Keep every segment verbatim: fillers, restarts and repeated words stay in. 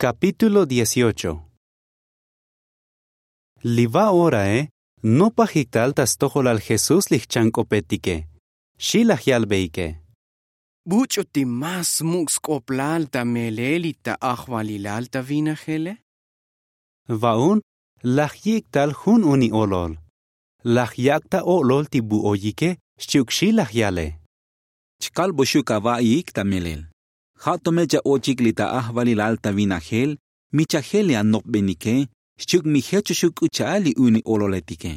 Kapítulo dieciocho. Li va orae nopajik tal ta stojolal jesús li jchank'opetike. Xi laj yalbeike. Buch'u ti más smuk' sk'oplal ta melel li ta ajvalilal ta vinajele. Va'un laj yik' tal jun uni olol. Laj yak' ta o'lol ti bu'oyike xchi'uk xi laj yale. Chkalboxuk ava'iik ta melel. Ja' to me cha'ochik li ta ajvalilal ta vinajel mi chajel li anopbenike xchi'uk mi jechoxuk k'u cha'al li uni ololetike.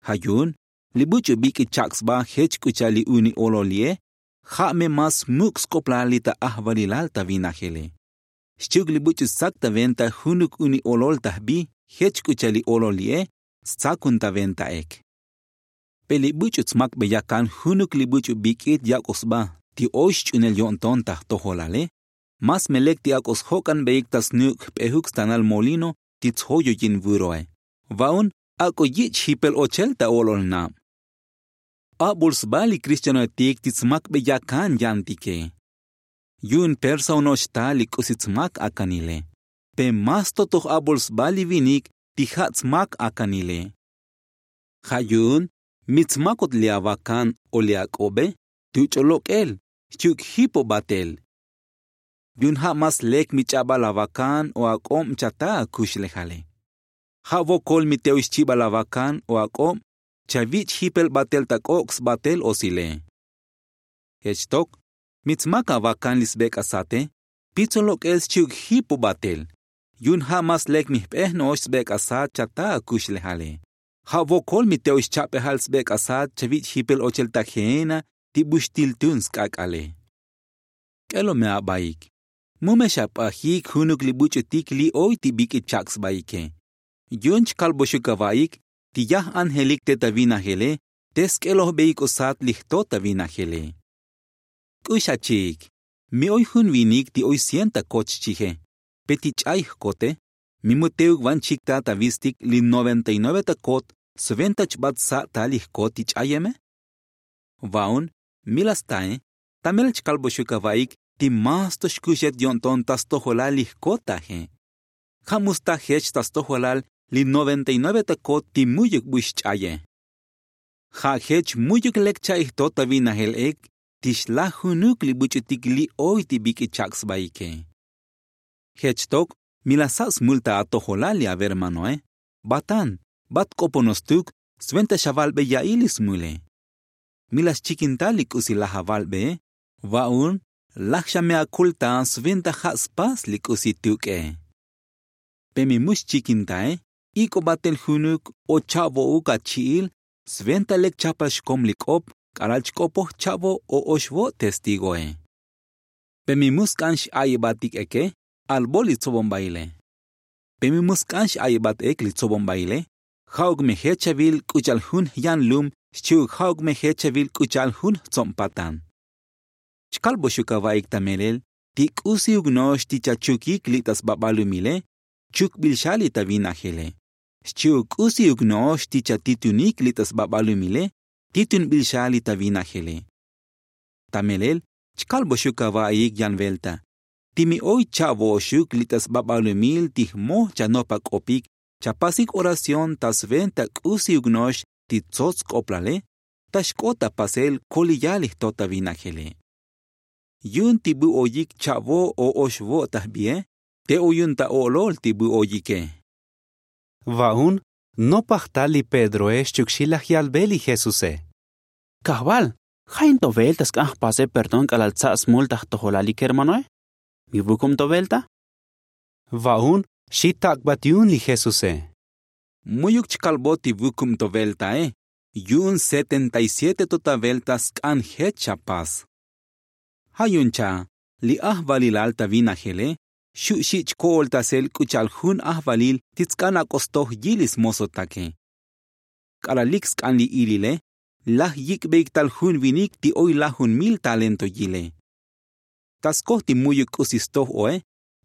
Ja' yu'un li buch'u bik'it chak' sba jech k'u cha'al li uni olol li'e. Ja' me más smuk' sk'oplal li ta ajvalilal ta vinajele. Xchi'uk li buch'u stsak ta venta junuk uni olol ta jbi jech k'u cha'al li olol li'e stsakun ta ventaek. Pe li buch'u tsmakbeya kan junuk li buch'u bik'it yak'oj sba ti oy xch'unel yo'nton ta jtojolale. Más me lek ti ak'o sjok'anbeik ta snuuk' jp'ejuk stanal molino ti tsjoyoyin vuroe. Va'un ak'o yich' jipel ochel ta o'lol nab. Abul sba li kristanoetik ti tsmakbeya kan yantike. Yu'un persa ono'ox ta li k'usi tsmak akanile. Pe más to toj abul sba li vinik ti ja' tsmak akanile. Ja' yu'un mi tsmakot li avakan o li ak'obe tu ch'o lok'el xchi'uk jipo batel. Yu'un ja' más lek mi ch'abal avakan o ak'ob chata akuxlejale. Ja' vokol mi te oy xchibal avakan o ak'ob chavich' jipel batel ta k'ok' sbatel osile. Jech tok mi tsmak avakan li sbek'asate pitso lok'el xchi'uk jipo batel. Yu'un ja' más lek mi jp'ej no'ox sbek'asat chata akuxlejale. Ja' vokol mi te oy xchap'ejal sbek'asat chavich' jipel ochel ta geena ti buxtil tun sk'ak'ale. K'elo me abaik. Mu me xap'ajik junuk li buch'utik li oy ti bik'it chak' sbaike. Yu'un chkalboxuk avaik ti yaj ángelik te ta vinajele te sk'elojbeik o sat li jto ta vinajele. K'ux achi'ik. Mi oy jun vinik ti oy cien ta kot xchije. Pe ti ch'ay jkote mi mu teuk van chik ta ta vistik li noventa y nueve ta kot sventa chbat sa' ta li jkot ti ch'ayeme. Va'un mi la stae. Ta melel chkalboxuk avaik ti más to xkuxet yo'nton ta stojolal li jkot taje. Ja' mu sta jech ta stojolal li noventa y nueve ta kot ti mu'yuk bu xch'aye. Ja' jech mu'yuk lek cha'i jto ta vinajel ek ti xlaj junuk li buch'utik li oy ti bik'it chak' sbaike. Jech tok mi la sa' smul ta atojolal li avermanoe. Batan bat k'opono stuk sventa xavalbe ya'i li smule. Mi la xchikin tal li k'usi laj avalbee. Va'un laj xa me akul ta sventa ja' spas li k'usi tuk'e. Pe mi mu xchikin tae ik'o batel junuk o cha'vo'uk achi'il sventa lek chapal xkom li k'op k'alal chk'opoj cha'vo o oxvo' testigoe. Pe mi mu sk'an x'a'ibatik eke albo li tsobonbaile. Pe mi mu sk'an x'a'ibat ek li tsobonbaile ja'uk me jech chavil k'u cha'al jun jyanlum xchi'uk ja'uk me jech chavil k'u cha'al jun jtsob patan. Chkalboxuk avaik ta melel ti k'usiuk no'ox ti chachukik li ta sbabalumile chukbil xa li ta vinajele. Xchi'uk k'usiuk no'ox ti chatitunik li ta sbabalumile titunbil xa li ta vinajele. Ta melel chkalboxuk avaik yan velta ti mi oy cha'vo'oxuk li ta sbabalumil ti jmoj chanop ak'opik chapasik oración ta sventa k'usiuk no'ox ti tsots sk'oplale ta xk'ot ta pasel koliyal li jto ta vinajele. Yu'un ti bu oyik cha'vo o oxvo' ta jbie te oyun ta o'lol ti bu oyike. Va'un nopaj tal li pedroe xchi'uk xi laj yalbe li jesuse. Kajval, ja' in to velta sk'an jpase perdón k'alal tsa' smul ta jtojolal li kermanoe? Mi vukum to velta? Va'un xi tak'bat yu'un li jesuse. Mu'yuk chkalbo ti vukum to veltae. Yu'un setenta y siete to ta velta sk'an jech chapas. Ja' yu'un cha' li ajvalilal ta vinajele xu' xi' chko'oltasel k'u cha'al jun ajvalil ti tsk'an ak'o stoj yil li smosotake. K'alal lik sk'an li ilile laj yik'beik tal jun vinik ti oy lajun mil talento yile. Ta skoj ti mu'yuk k'usi stoj oe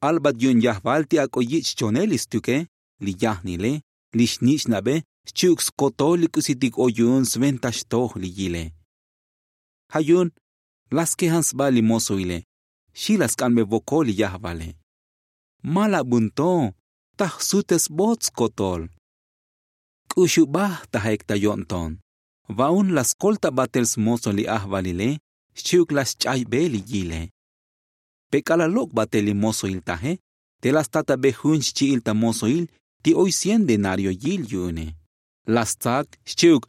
albat yu'un yajval ti ak'o yich' chonel li stuke, li yajnile, li xnich'nabe xchi'uk skotol li k'usitik oy yu'un sventa xtoj li yile. Ja' yu'un la skejan sba li mosoile xi la sk'anbe vokol li yajvale. Ma la bun to. Ta jsutesbot skotol. K'uxubaj ta jek ta yo'nton. Va'un la skol ta batel smozo li ajvalile. Xchi'uk la sch'aybe li yile. Pe k'alal lok' batel li mozoil taje, te la statabe jun xchi'il ta mozoil ti oy cien denario yil yu'une. La stsak xchi'uk,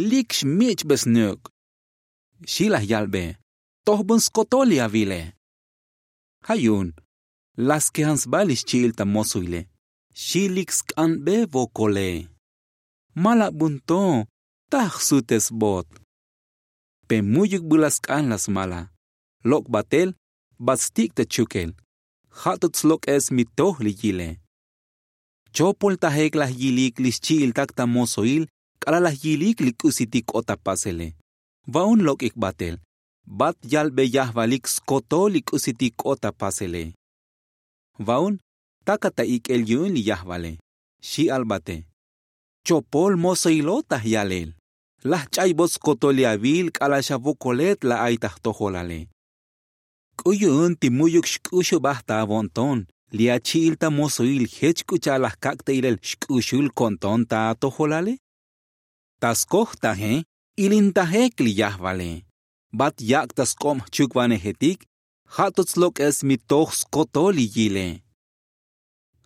lik xmich'be snuk'. Xi' laj yalbe, tojbun skotol li avile. Ja' yu'un la skejan sba li xchi'il ta mozoile. Xi' lik sk'anbe vokole. Ma la bun to. Ta jsutesbot. Pe mu'yuk bu la sk'an la smala. Lok' batel, bat stik' ta chukel. Ja' tot slok'es mi toj li yile. Chopol ta jek laj yilik li xchi'il tak ta mozoil k'alal laj yilik li k'usitik k'ot ta pasele. Va'un lok'ik batel, bat yalbe yajvalik skotol li k'usitik k'ot ta pasele. Va'un takat ta ik'el yu'un li yajvale. Xi' albate, chopol mozoilot ta jyalel. Laj ch'aybot skotol li avil k'alal xa vokolet la ay ta jtojolale. K'u yu'un ti mu'yuk xk'uxubaj ta avo'nton li achi'il ta mozoil jech k'u cha'al laj kak' ta ilel xk'uxul ko'nton ta atojolale. Ta skoj taje, ilintajek li yajvale. Bat yak' ta sk'ob jchukvanejetik. Ja' tot slok'es mi toj skotol li yile.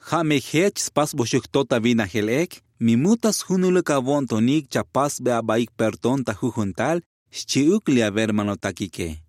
Ja' me jech spasboxuk to ta vinajel ek, mi mu ta sjunuluk avo'ntonik chapasbe abaik perdón ta jujun tal. Xchi'uk li avermanotakike.